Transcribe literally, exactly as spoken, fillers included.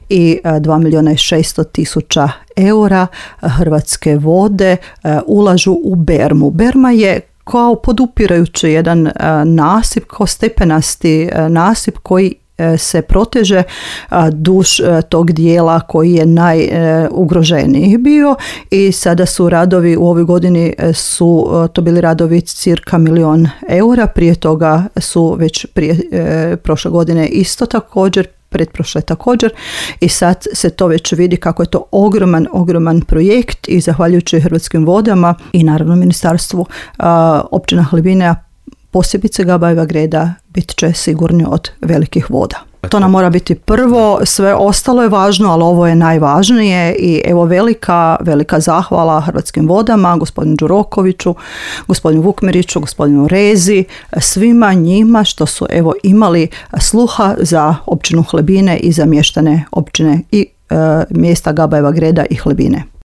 i dva milijuna i šesto tisuća eura Hrvatske vode ulažu u bermu. Berma je kao podupirajući jedan nasip, kao stepenasti nasip koji se proteže duž tog dijela koji je najugroženiji bio i sada su radovi u ovoj godini su to bili radovi cirka milion eura, prije toga su već prije e, prošle godine isto također, pretprošle također i sad se to već vidi kako je to ogroman, ogroman projekt i zahvaljujući Hrvatskim vodama i naravno ministarstvu a, općina Hlebina, posebice Gabajeva Greda, bit će sigurni od velikih voda. To nam mora biti prvo, sve ostalo je važno, ali ovo je najvažnije i evo velika, velika zahvala Hrvatskim vodama, gospodinu Đurokoviću, gospodinu Vukmiriću, gospodinu Rezi, svima njima što su evo imali sluha za općinu Hlebine i za mještane općine i e, mjesta Gabajeva Greda i Hlebine.